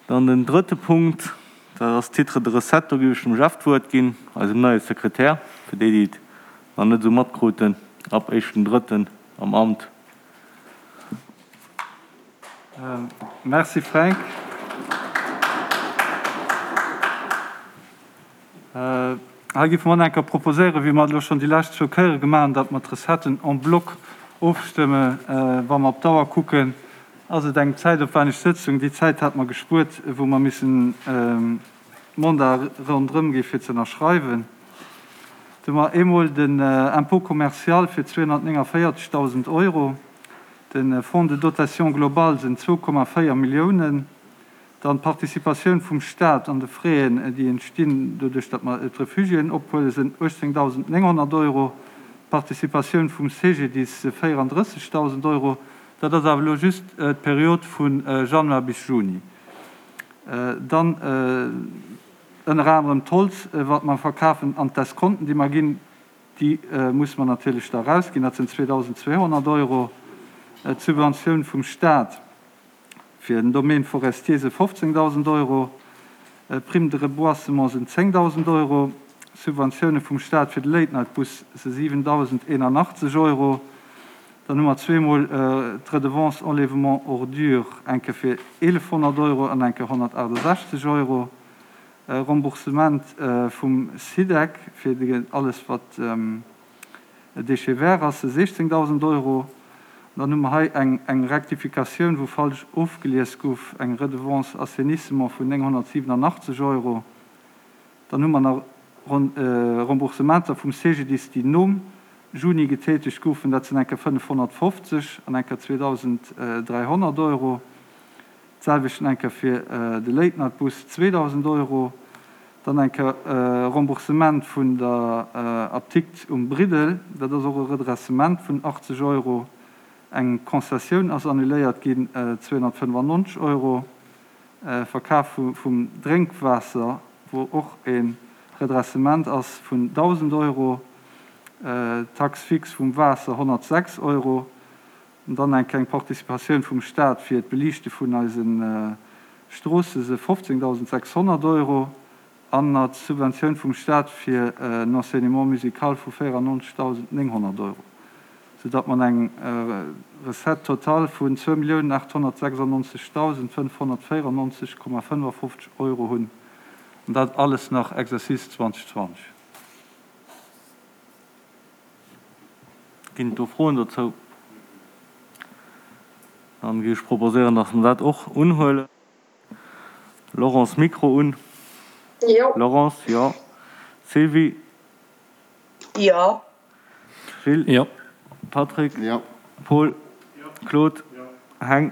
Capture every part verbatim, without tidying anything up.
Dann den drëtte Punkt, dat ass Titre de recette. Do géif ech dem Jeff d'Wuert ginn, eisem neie Sekretär, fir déi, déi et nach net esou matkruten, ab éischten drëtten am Amt. Merci Fränk. Hei géife mer och nach eng Kéier proposéieren, wéi mer et elo schonn déi lescht zwou Kéiere gemaach hunn, datt mer d'Recetten en bloc ofstëmme. Wa mer op d'Auer kucken, ass et eng zäitopwänneg Sëtzung. Déi Zäit hate mer gespuert, wou mer missen d'Mandat ronderëm gi fir ze ënnerschreiwen. Do hu mer eemol den Impôt commercial fir zweehonnertnénganvéierzegdausend Euro, de Fonds de dotation globale sinn zwou Komma véier Milliounen, dann d'Participatioun vum Stat an de Fräen, déi entstinn doduerch, datt mer d'Refugiéen ophuelen, sinn uechtzéngdausendnénghonnert Euro, d'Participatioun vum C G D I S si véierandrëssegdausend Euro. Dat ass awer elo just d'Period vu Januar bis Juni. Dann ënner anerem d'Holz, wat mer verkafen, an d'Escompten, déi mer ginn, déi musse mer natierlech da erausginn, dat sinn zweedausendzweehonnert Euro. D'Subventioun vum Stat fir den Domaine forestier si fofzéngdausend Euro. D'Prime de reboisement sinn zéngdausend Euro. Subventioune vum Stat fir de Late-Night-Bus si siwendausendeenanachtzeg Euro. Dann hu mer zweemol d'Redevance enlèvement ordures, eng Kéier fir eelefhonnert Euro an eng Kéier honnertaachtasechzeg Euro. Remboursement vum SIDEC fir alles wat Déchets verts ass, siechzéngdausend Euro. Dann hu mer hei eng Rectificatioun, wou falsch ofgelies gouf, eng Redevance assainissement vun nénghonnertsiwenanachtzeg Euro. Dann hu mer nach Remboursementer vum C G D I S, déi nom Juni getätegt goufen, dat sinn eng Kéier fënnefhonnertfofzeg an eng Kéier zweedausenddräihonnert Euro. D'selwecht eng Kéier fir de Late-Night-Bus, zweedausend Euro. Dann eng Kéier Remboursement vun der Apdikt um Briddel, dat ass och e Redressement vun achtzeg Euro. Eng Concessioun ass annuléiert ginn, zweehonnertfënnefannonzeg Euro. Verkaf vum Drénkwaasser, wou och e Redressement ass vun dausend Euro. Taxe fixe vum Waasser honnertsechs Euro. An dann eng kleng Participatioun vum Staat fir d'Beliichte vun eise Stroosse se fofzéngdausendsechshonnert Euro. An nach d'Subventioun vum Staat fir en Enseignement musical vu véierannonzegdausendnénghonnert Euro, soudatt mer eng Recette totale vun zwou Milliounen aathonnertsechsannonzegdausendfënnfhonnertvéierannonzeg Komma fënnefafofzeg Euro hunn. An dat alles nach Exercice zweedausendzwanzeg. Ginn et do Froen dozou? Dann géif ech proposéieren, dass mer dat och unhuelen. Laurence, Mikro un. Jo. Laurence, jo. Sylvie? Jo. Gilles? Jo. Patrick? Jo. Paul? Claude? Heng?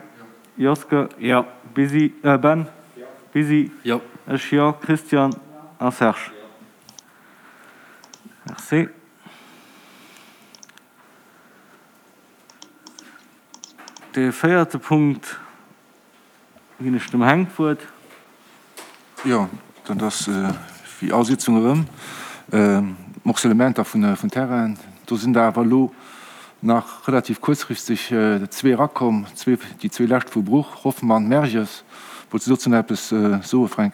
Joske? Jo. Busy, äh, Ben? Busy? Jo. Ech jo. Christian? A Serge? Merci. De véierte Punkt ginn ech dem Henk d'Wuert. Jo, dat ass wéi all Sitzung erëm Morcellementer vun vun Terrainen. Do sinn der awer elo nach relativ kuerzfristeg zwee erakomm, zwee, déi zwee lescht vu Bruch, Hoffmann, Merges. Wolls du dozou nach eppes soe, Fränk?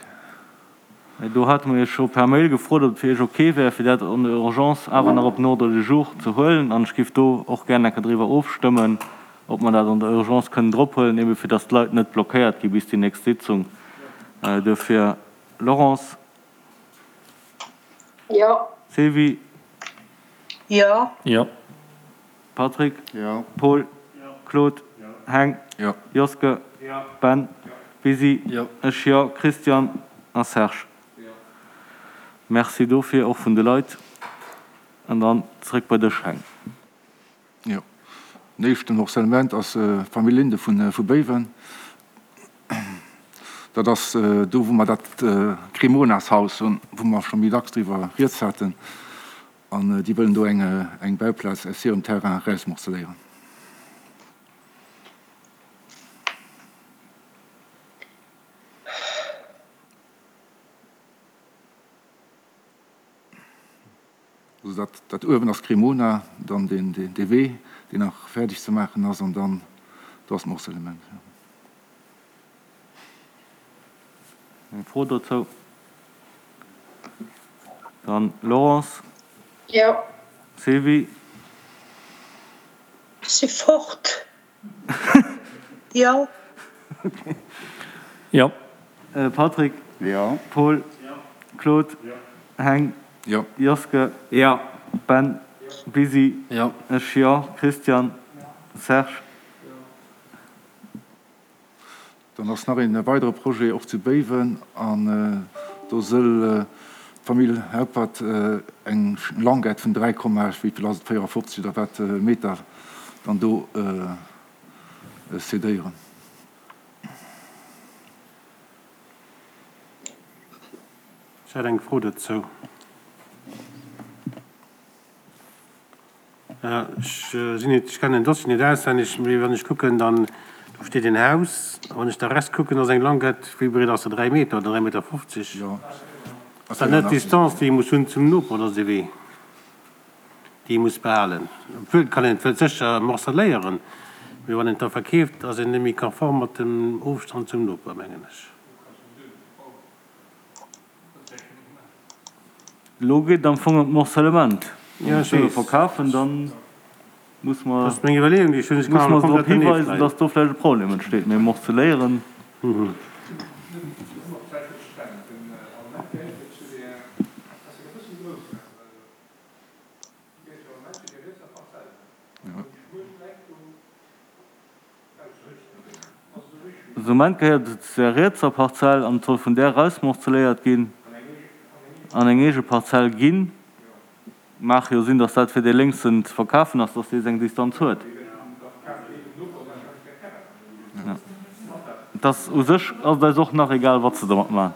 Do hate mer Iech scho per Mail gefrot, ob et fir Iech ok wär, fir dat en urgence awer nach op den Ordre du jour ze huelen. An ech géif do och gär eng Kéier driwwer ofstëmmen, ob mer dat an der Urgence kënnen drop huelen, ebe fir datt d'Leit net blockéiert gi bis déi nächst Sitzung. Duerfir, Laurence? Jo. Sylvie? Jo. Jo. Patrick? Jo. Paul? Claude? Heng? Jo. Joske? Ben? Busy? Jo. Ech jo. Christian a Serge? Merci dofir och vun de Leit. An dann zréck bei dech, Heng. Jo. Den éischten Morcellement ass Famill Linde vun vu Béiwen. Dat ass do, wou mer dat Cremonas-Haus hunn, wou mer scho méi dacks driwwer rieds haten. An déi wëllen do eng eng Bauplaz aus hirem Terrain erausmorceléieren. Also dat dat uewen ass Cremona, dann deen deen dee Wee, deen nach fäerdeg ze maachen ass, an dann do ass d'Morcellement. Eng Fro dozou? Dann Laurence. Jo. Sylvie. Ech si fort. Jo. Jo. Patrick. Jo. Paul. Claude. Heng. Jo. Joske. Jo. Ben. Busy. Jo. Ech jo. Christian. Serge. Dann ass nach een weidere Projet och zu Béiwen an do sëll d'Famill Haupert eng Languette vun dräi Komma, wéi vill ass et, véierafofzeg oder wat, Meter dann do cédéieren. Ech hätt eng Fro dozou. Ech sinn net, ech kennen den Dossier net auswenneg, mee wann ech kucken, dann do steet een Haus, a wann ech da rechts kucken, ass eng Languette, wéi breet ass se, dräi Meter oder dräi Meter fofzeg? Ass dat net d'Distanz, déi ee muss hunn zum Noper oder esou wéi, déi ee muss behalen? Obwuel, et kann een et sécher morceléieren, mee wann een et da verkeeft, ass een net méi konform mat dem Ofstand zum Noper, mengen ech. Elo geet et am Fong ëm d'Morcellement. Wa Ja, mer ech d'Sue weess. verkafen, da muss Dat mer ass meng Iwwerleeung, déi ech hunn. Ech muss kann mer awer se drop komplett dernieft hiweisen, leien. dass do vläicht e Problem entsteet. Mee morceléieren. De Moment gehéiert et zu der rietser Parzell an et soll vun där erausmorceléiert ginn an eng eege Parzell ginn. Maach jo sinn, datt dat fir dee lénksen ze verkafen ass, datt dee seng Distanz huet. Et ass u sech ass et eis och nach egal, wat se domat maachen.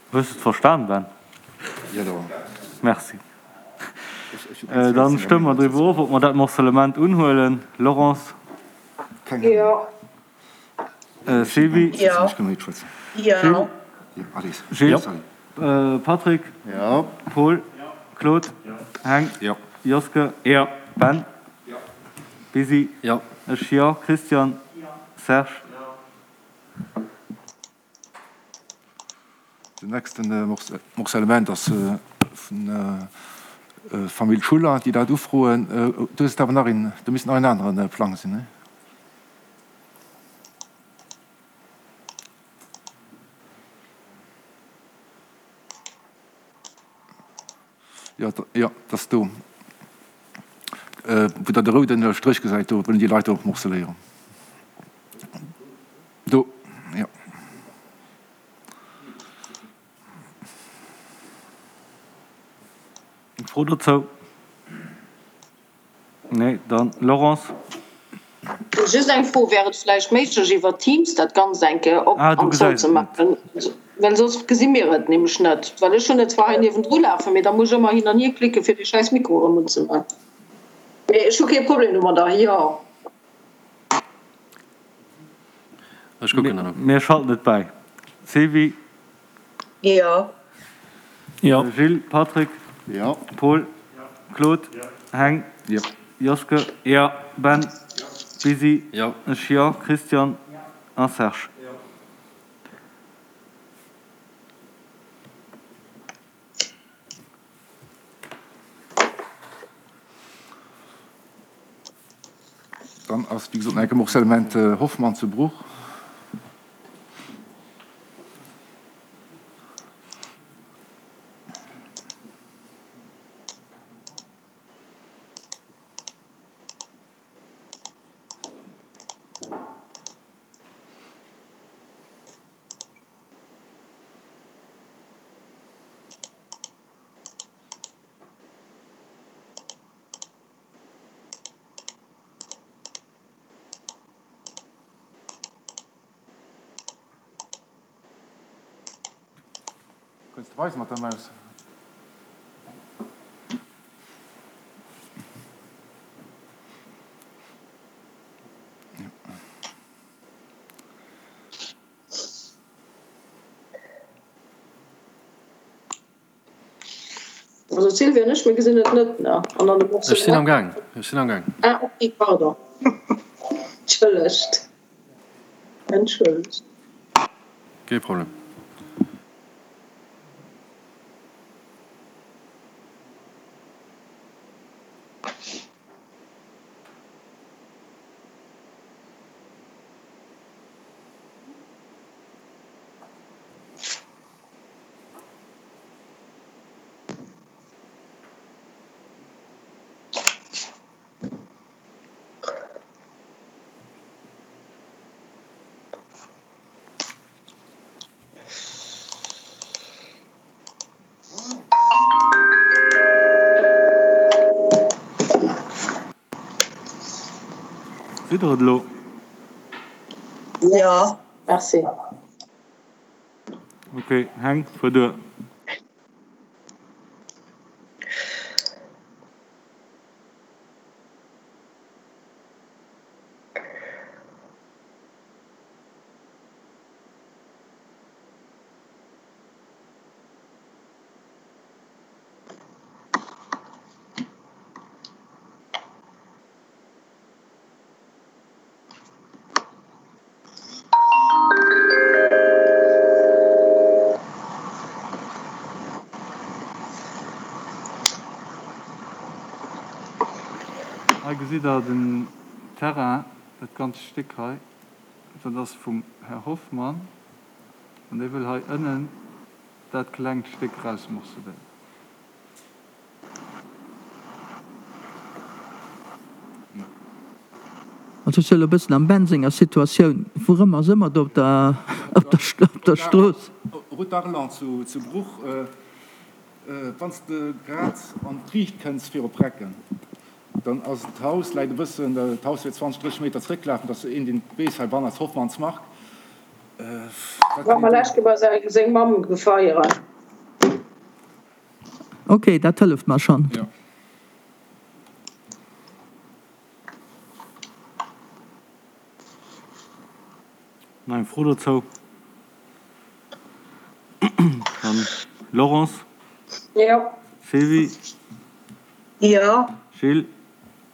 Hues de et verstan, Ben? Merci. Dann stëmme mer driwwer of, ob mer dat Morcellement unhuelen. Laurence? Jo. Sylvie? Jo. Jo. Gilles? Patrick? Paul? Claude? Heng? Joske? Ben? Busy? Ech jo. Christian? Serge? Den nächsten Morcellement ass vun Famill Schuller, déi dat ufroen. Do ass et awer nach een, do misst nach en anere Plang sinn, ne? Jo, jo, dat ass do, wou Der de roude Stréch gesäit, do wëllen déi Leit och morceléieren. Do, jo. Eng Fro dozou? Nee, dann Laurence. Just eng Fro, Wär et vläicht méiglech iwwer Teams dat Ganzt eng Kéier op Ah, du an zou gesäis ze et net. maachen? Well soss gesi mir et nämlech net. Well ech hunn et zwar hei niewendru lafen, mee da muss ech ëmmer hin an hier klicken, fir dee schäiss Mikro erëm unzemaachen. Mee ech hu kee Problem domadder, jo. Ech kucken dann op. Mir schalten et bäi. Sylvie? Jo. Jo. Gilles, Patrick? Jo. Paul? Claude? Heng? Jo. Joske? Jo. Ben? Busy? Jo. Ech jo. Christian? A Serge? Dann ass, wéi gesot, nach eng Kéier Morcellement Hoffmann zu Bruch. Kënns de weisen mat der Maus? Also d'Sylvie an ech, mir gesinn et net, ne? An dann de Ech sinn am Gaang, ech sinn am Gaang. Ah, ok, pardon. Entschëllegt. Entschëllegt. Kee Problem. Sidd der et elo? Jo. Merci. Ok, Heng, fuer duer. Hei gesitt Der den Terrain, dat ganzt Stéck hei, dat ass vum Här Hoffmann an dee wëll hei ënnen dat klengt Stéck erausmorceléieren. Also ech sou elo bëssen am Ben senger Situatioun, wourëmmer ass ëmmer do op der op der op der Strooss? Route d'Arlon zu zu Bruch, wann s de grad an d'Riicht kënns viru Precken, dann ass d'Haus, läit e bëssen, d'Haus wier zwanzeg, drësseg Meter zrécklafen, dass een deen weess, heibann ass Hoffmanns Mark, wat War mer lech bei seng Mamm gefeieren. Ok, dat hëlleft mer schonn. Nach eng Fro dozou? Dann Laurence. Jo. Sylvie. Jo. Gilles.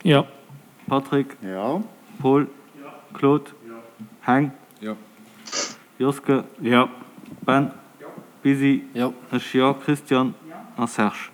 Jo. Patrick. Jo. Paul. Claude. Heng. Jo. Joske. Jo. Ben. Jo. Busy. Jo. Ech jo. Christian. A Serge.